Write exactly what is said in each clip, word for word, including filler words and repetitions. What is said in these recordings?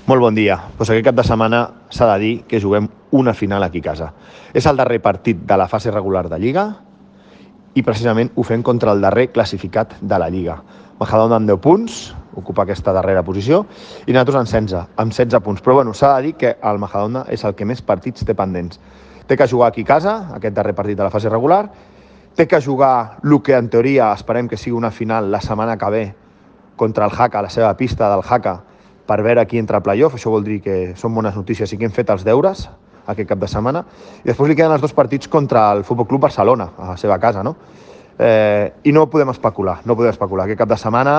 Molt bon dia. Pues aquest cap de setmana s'ha de dir que juguem una final aquí a casa. És el darrer partit de la fase regular de Lliga i precisament ho fem contra el darrer classificat de la Lliga. Majadahonda amb deu punts, ocupa aquesta darrera posició, i nosaltres amb setze, amb setze punts. Però bueno, s'ha de dir que el Majadahonda és el que més partits té pendents. Té que jugar aquí a casa, aquest darrer partit de la fase regular, té que jugar el que en teoria esperem que sigui una final la setmana que ve contra el Jaca, la seva pista del Jaca, per veure qui entra a playoff. Això vol dir que són bones notícies i que hem fet els deures aquest cap de setmana. I després li queden els dos partits contra el Futbol Club Barcelona, a la seva casa, no? Eh, I no podem especular, no podem especular. Aquest cap de setmana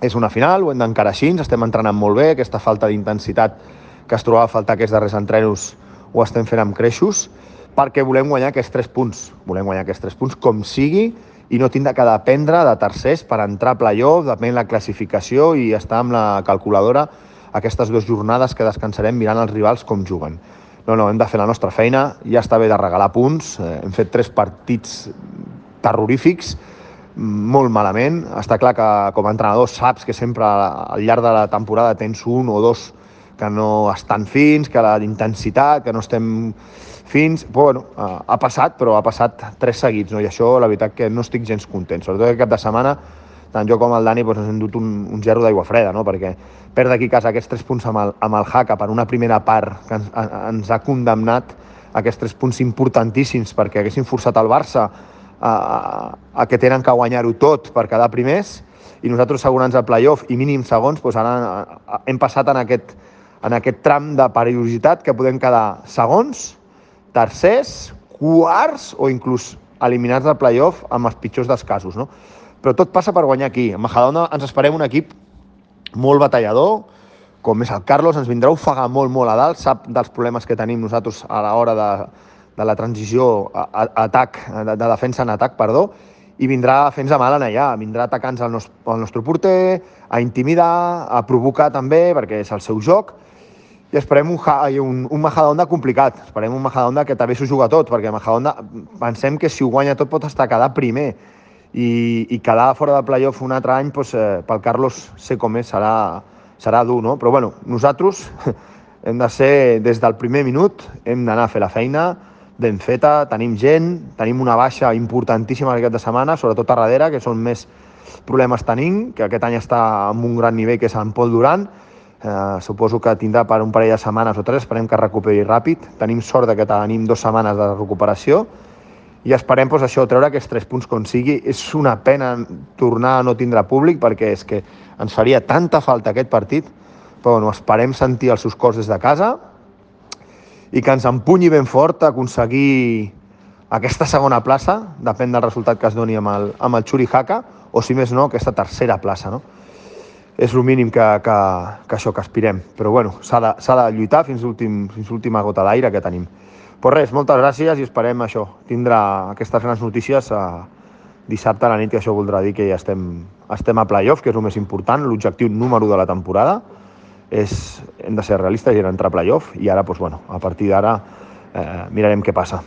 és una final, ho hem d'encarar així, estem entrenant molt bé, aquesta falta d'intensitat que es trobava a faltar aquests darrers entrenos ho estem fent amb creixos, perquè volem guanyar aquests tres punts. Volem guanyar aquests tres punts com sigui, i no tindre que dependre de tercers per entrar a playoff, depèn la classificació i estar amb la calculadora aquestes dues jornades que descansarem mirant els rivals com juguen. No, no, hem de fer la nostra feina, ja està bé de regalar punts, eh, hem fet tres partits terrorífics, molt malament. Està clar que com a entrenador saps que sempre al llarg de la temporada tens un o dos que no estan fins, que la intensitat, que no estem fins, bueno, ha passat, però ha passat tres seguits, no? I això, la veritat, que no estic gens content. Sobretot aquest cap de setmana, tant jo com el Dani doncs, ens hem dut un, un gerro d'aigua freda, no? Perquè perdre aquí a casa aquests tres punts amb el, amb el Jaca per una primera part que ens, ens ha condemnat aquests tres punts importantíssims perquè haguessin forçat el Barça a, a, a que tenen que guanyar-ho tot per quedar primers i nosaltres assegurants al playoff i mínim segons, doncs ara hem passat en aquest, en aquest tram de perillositat que podem quedar segons, tercers, quarts o inclús eliminats del playoff amb els pitjors dels casos, no? Però tot passa per guanyar aquí. A Majadahonda ens esperem un equip molt batallador, com és el Carlos, ens vindrà a ofegar molt, molt a dalt, sap dels problemes que tenim nosaltres a l'hora de, de la transició a, a, a atac, de, de defensa en atac, perdó, i vindrà a fer-nos mal en allà, vindrà a atacar-nos el, nos, el nostre porter, a intimidar, a provocar també, perquè és el seu joc, i esperem un, un, un Majadahonda complicat, esperem un Majadahonda que també s'ho juga tot, perquè Majadahonda pensem que si ho guanya tot pot estar quedar primer, i, i quedar fora de playoff un altre any, doncs, eh, pel Carlos sé com és, serà, serà dur, no? Però bueno, nosaltres hem de ser, des del primer minut, hem d'anar a fer la feina ben feta, tenim gent, tenim una baixa importantíssima aquest de setmana, sobretot a darrere, que són més problemes tenim, que aquest any està en un gran nivell, que és en Pol Duran. Uh, suposo que tindrà per un parell de setmanes o tres, esperem que recuperi ràpid. Tenim sort de que tenim dues setmanes de recuperació i esperem doncs, això, treure aquests tres punts com sigui. És una pena tornar a no tindre públic perquè és que ens faria tanta falta aquest partit, però bueno, esperem sentir els seus cors des de casa i que ens empunyi ben fort a aconseguir aquesta segona plaça, depèn del resultat que es doni amb el, amb el Xuri Jaca, o si més no, aquesta tercera plaça, no? És el mínim que, que, que això que aspirem. Però bueno, s'ha de, s'ha de lluitar fins l'última gota d'aire que tenim. Però res, moltes gràcies i esperem això, tindre aquestes grans notícies a dissabte a la nit, que això voldrà dir que ja estem, estem a playoff, que és el més important, l'objectiu número de la temporada. És, hem de ser realistes i entrar a playoff i ara, doncs, bueno, a partir d'ara eh, mirarem què passa.